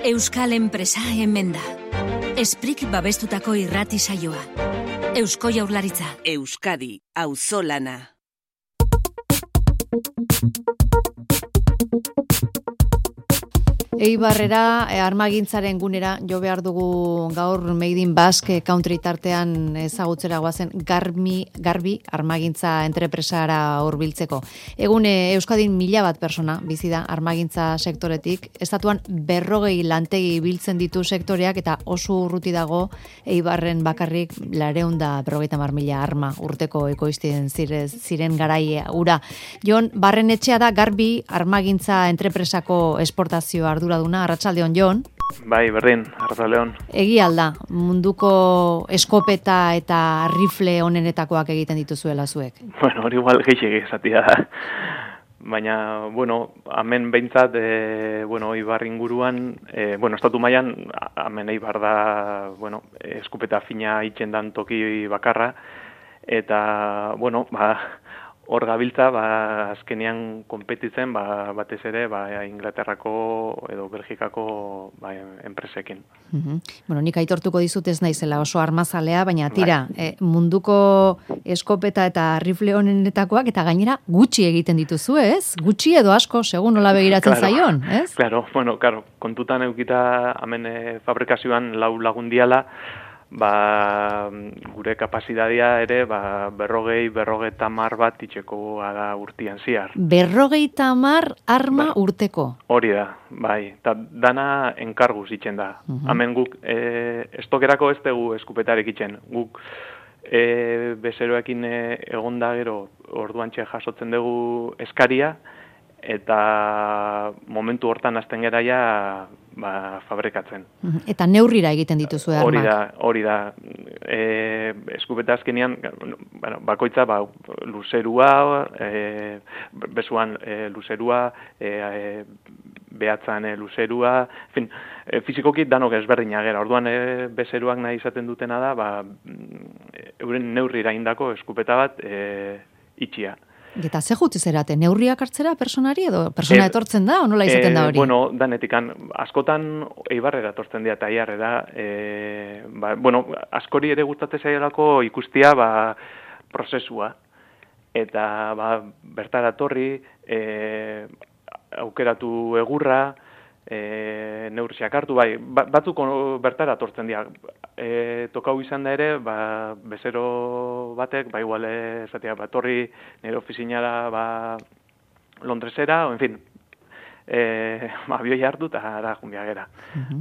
Euskal enpresa hemen da. Esprik babestutako irrati saioa. Eusko Jaurlaritza. Euskadi, auzolana. Eibarrera armagintzaren gunera jo behar dugu gaur Made in Basque Country tartean ezagutzera goazen Garbi armagintza entrepresara hurbiltzeko. Egun Euskadin 1000 persona bizi da armagintza sektoretik. Estatuan 40 lantegi biltzen ditu sektoreak eta oso urruti dago Eibarren bakarrik 450.000 arma urteko ekoizten ziren garai ura. Jon Barrenetxea da Garbi armagintza entrepresako esportazio arduraduna. Arratsaldeon, Jon. Bai, berdin, arratsaldeon. Egia alda, munduko eskopeta eta rifle onenetakoak egiten dituzuela zuek. Bueno, hori igual gehiago esatia da. Baina, bueno, hemen behintzat, Eibar inguruan, estatu mailan hemen Eibar da, eskopeta fina itzen dan toki bakarra, eta, hor gabiltza, azkenean konpetitzen, batez ere, Inglaterrako edo Belgikako enpresekin. Nik aitortuko dizut ez naizela oso armazalea, baina tira, munduko eskopeta eta rifle honenetakoak, eta gainera gutxi egiten dituzu, ez? Gutxi edo asko, segun nola begiratzen zaion, ez? Claro, kontutan eukita hemen fabrikazioan 4 lagundiala, gure kapazitatea ere 50 bat itxeko da urtian ziar. 50 arma urteko? Hori da, bai. Ta dana enkarguz itzen da. Hemen guk estokerako ez dugu eskupetarek itzen. Guk bezeroekin egonda gero orduantxe jasotzen dugu eskaria, eta momentu hortan hasten geraia fabrikatzen. Eta neurrira egiten dituzu armak? Hori da. Eskupeta azkenean, bakoitza luzerua, bezuan luzerua, behatzan luzerua, fizikoki danok ezberdina gera. Orduan bezeruak nahi izaten dutena da, euren neurrira indako eskupeta bat itxia. Eta ze juti zerate, neurriak hartzera personari edo persona etortzen da, o nola izaten da hori? Danetikan, askotan Eibarrera etortzen dira eta Aiarrera, askori ere gustatzen zaielako ikustia prozesua. Eta bertara torri, aukeratu egurra, neurriak hartu, batzuk bertara tortzen dira. Tokau izan da ere, bezero batek, igual esatea, torri nire ofizinara Londresera, abioi hartu eta ara junbia gera.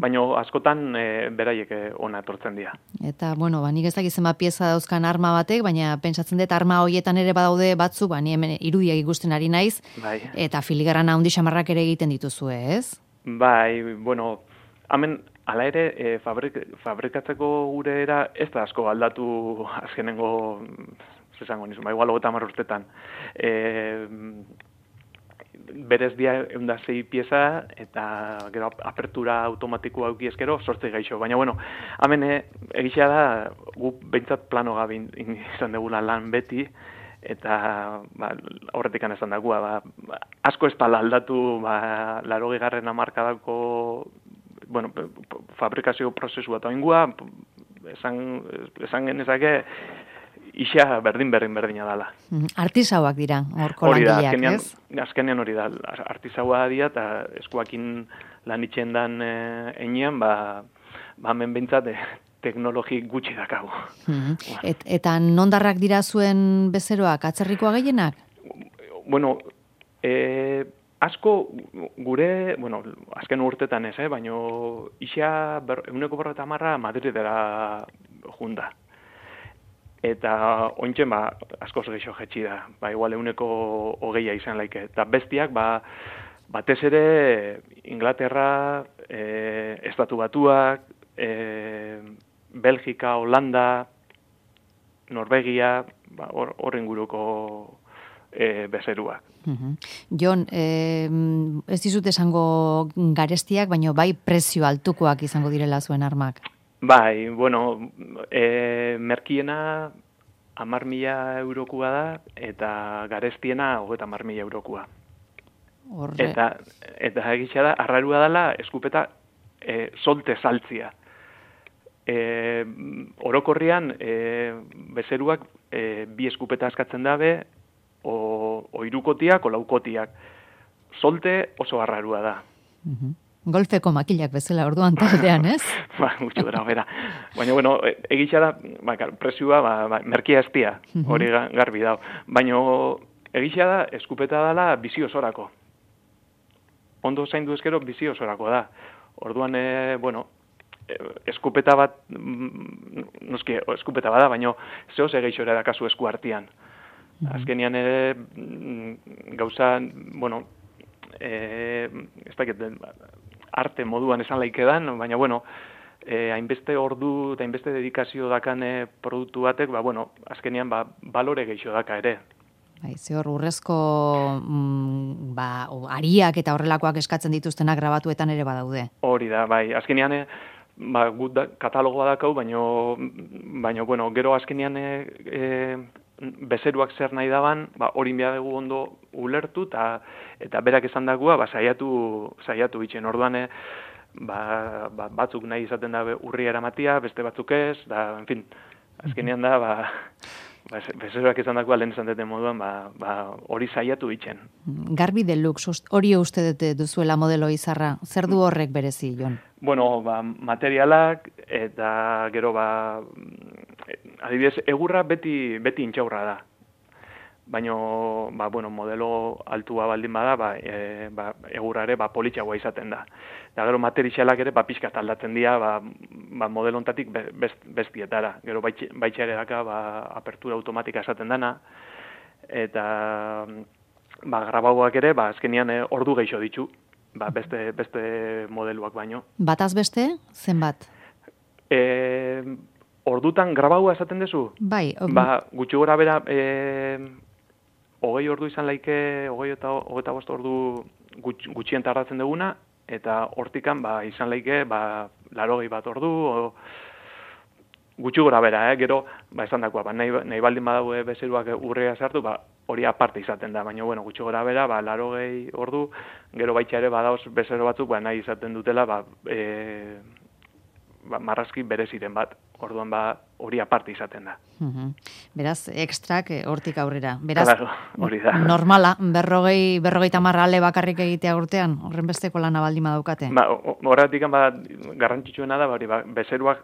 Baina askotan beraiek ona etortzen dira. Eta, nik ez dakizen pieza dauzkan arma batek, baina pentsatzen dut arma hoietan ere badaude batzu, ni hemen irudiak ikusten ari naiz, eta filigrana handi xamarrak ere egiten dituzue, ez? Hemen, hala ere, fabrikatzeko gure era ez da asko aldatu azkenengo, zesango nizu, igual 30 urtetan. Berez dia 106 pieza, eta gero apertura automatikoa auki ezkero, 8 gaixo. Baina, hemen egitea da, gu behintzat plano gabe izan degula lan beti, eta horretik esan dagua, asko ez pala aldatu 80. hamarkadako fabrikazio prozesua eta ingua, esan genezake isa berdina dala. Artisauak dira, horko langileak, ez? Azkenean hori da, artisaua dira, eta eskuakin lan itxen dan enean, hemen behintzat teknologi gutxi dakago. Eta nondarrak dira zuen bezeroak, atzerrikoa gehienak? Asko gure, azken urtetan ez, baina isa 150 Madridera junda. Eta ointxen, askoz gehiago jetxi da, igual 120 izan laike. Eta bestiak, batez ere, Inglaterra, Estatu Batuak, Belgika, Holanda, Norvegia, horren guruko bezeruak. Jon, ez dizut esango garestiak, baina prezio altukoak izango direla zuen armak. Merkiena 10.000 eurokoa da, eta garestiena 30.000 eurokoa. Eta egitxa da, arrarua dela, eskupeta solte saltzia. Orokorrian, bezeruak bi eskupeta askatzen dabe, o irukotiak, o laukotiak. Solte oso arrarua da. Golfeko makilak bezala orduan taldean, ez? Gutxo gara, bera. Baina, bueno, egitxa da, presioa, merkia estia, hori garbi dau. Baina, egitxa da, eskupeta dela bizi osorako. Ondo zaindu ezkero bizi osorako da. Orduan, bueno, eskupeta bat, noski, eskupeta bada, baina zehoz egitxo ere dakazu esku artian. Azkenian ere, gauza, bueno, ez dakit, arte moduan esan laikedan, baina, bueno, hainbeste ordu eta hainbeste dedikazio dakan produktu batek, bueno, azkenian, balore gehiago daka ere. Zehor, urrezko ariak eta horrelakoak eskatzen dituztenak grabatuetan ere badaude. Hori da, bai, azkenian, gut katalogoa dakau, baina, bueno, gero azkenian bezeruak zer nahi daban, hori behar dugu ondo ulertu, eta berak esan dagua, saiatu itxen. Orduan, batzuk nahi izaten da urri eramatia, beste batzuk ez, da, en fin, azkenean da, bezeruak esan dagua lehen esan duten moduan, hori saiatu itxen. Garbi Deluxe, hori uste dute duzuela modelo izarra, zer du horrek berezi, Jon? Bueno, materialak, eta gero, adibidez, egurra beti intxaurra da. Baina, bueno, modelo altua baldin bada, egurra ere politxagoa izaten da. Eta gero materialak ere pixkat aldatzen dira, modelo ontatik bestietara. Gero baitxa ere daka, apertura automatika esaten dana, eta grabauak ere, azkenian ordu gehiago ditu, beste modeluak baino. Bataz beste, zenbat? Ordutan grabaua esaten dezu? Bai. Gutxi gora bera, 20 ordu izan laike, 20 eta 25 ordu gutxien tardatzen duguna, eta hortikan izan laike 80 ordu, gutxi gora bera, gero, esan dakoa, nahi baldin badaue bezeruak urrea sartu, hori aparte izaten da, baina, bueno, gutxi gora bera, 80 ordu, gero baitxa ere badaoz bezero batzuk, nahi izaten dutela, marrazki bereziren bat. Orduan hori aparte izaten da. Beraz, ekstrak hortik aurrera. Beraz, hori da. Normala, 50 ale bakarrik egitea urtean, horren besteko lana baldin badaukate. Horretik garrantzitsuena da, bezeruak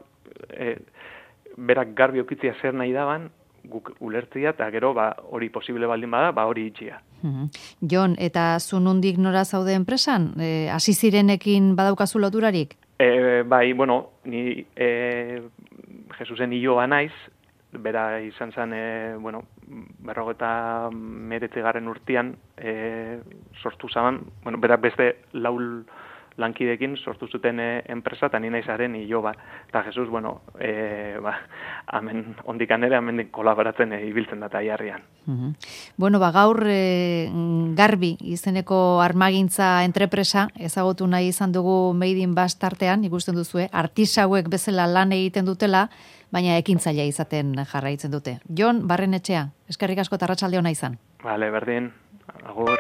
berak garbi okitzia zer nahi daban, guk ulertzia, eta gero hori posible baldin bada, hori itxia. Jon, eta zu nondik nora zaude enpresan? Hasi zirenekin badaukazu loturarik? Bai, bueno, ni Jesusen hiloa naiz, bera izan zen, 59. urtean sortu zaban, bera beste laul lankidekin sortu zuten enpresa, eta ni naizaren hiloa. Eta Jesus, hemen ondikan ere, hemen kolaboratzen ibiltzen da tailarrian. Gaur Garbi izeneko armagintza entrepresa ezagutu nahi izan dugu Made in Basque tartean, ikusten duzue, artisauek bezala lan egiten dutela, baina ekintzailea izaten jarraitzen dute. Jon Barrenetxea, eskerrik asko eta arratsalde ona izan. Bale, berdin, agur.